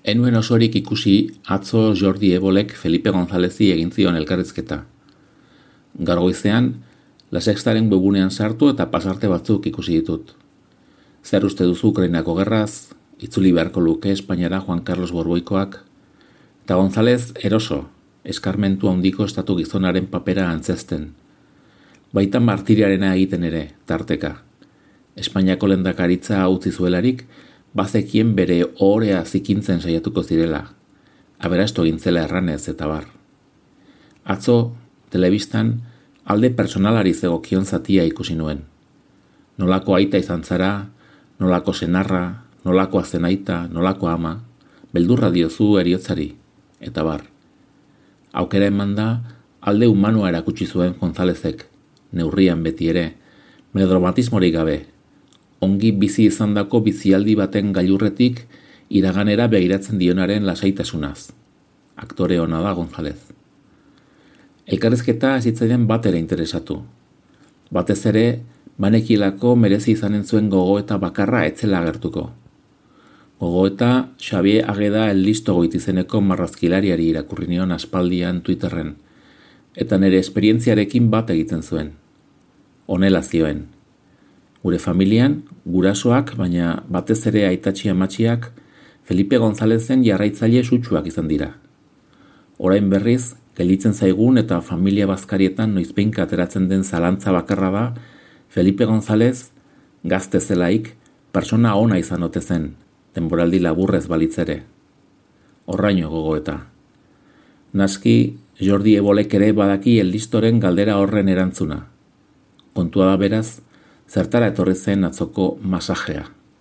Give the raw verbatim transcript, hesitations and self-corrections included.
Enuen osorik ikusi atzo Jordi Ebolek Felipe Gonzálezi egin zion elkarrizketa. Gaur goizean, La Sextaren webunean sartu eta pasarte batzuk ikusi ditut. Zer uste duzu Ukrainako gerraz, itzuli beharko luke Espainiara Juan Carlos Borboikoak, eta González eroso, eskarmentu handiko estatu gizonaren papera antzesten. Baita martiriarena egiten ere, tarteka. Espainiako lehendakaritza utzi zuelarik, bazekien bere ohorea zikintzen saiatuko zirela. Aberastu egin zela erranez eta bar. Atzo, telebistan, alde personalari zegokion zatia ikusi nuen. Nolako aita izan zara, nolako senarra, nolako azenaita, nolako ama, beldurra diozu eriotzari, eta bar. Aukera eman da, alde humanua erakutsi zuen Gonzálezek, neurrian beti ere, melodramatismorik gabe, ongi bizi izandako bizialdi baten gailurretik iraganera begiratzen dionaren lasaitasunaz. Aktore ona da González. Elkarrizketa ez zitzaidan bat ere interesatu. Batez ere, banekielako merezi izanen zuen gogoeta bakarra etzela agertuko. Gogoeta Xavier Ageda el listo goitizeneko marrazkilariari irakurri nion aspaldian Twitterren, eta nire esperientziarekin bat egiten zuen. Honela zioen. Gure familian, gurasoak, baina batez ere aitatxi amatxiak, Felipe Gonzálezen jarraitzaile sutsuak izan dira. Orain berriz, gelditzen zaigun eta familia bazkarietan noizbeinka ateratzen den zalantza bakarra da, Felipe González, gazte zelaik, persona ona izan ote zen, denboraldi laburrez balitzere. Horraino gogoeta. Naski, Jordi Ebolek ere badaki eldistoren galdera horren erantzuna. Kontua da beraz, zertara etorri zen atzoko masajea.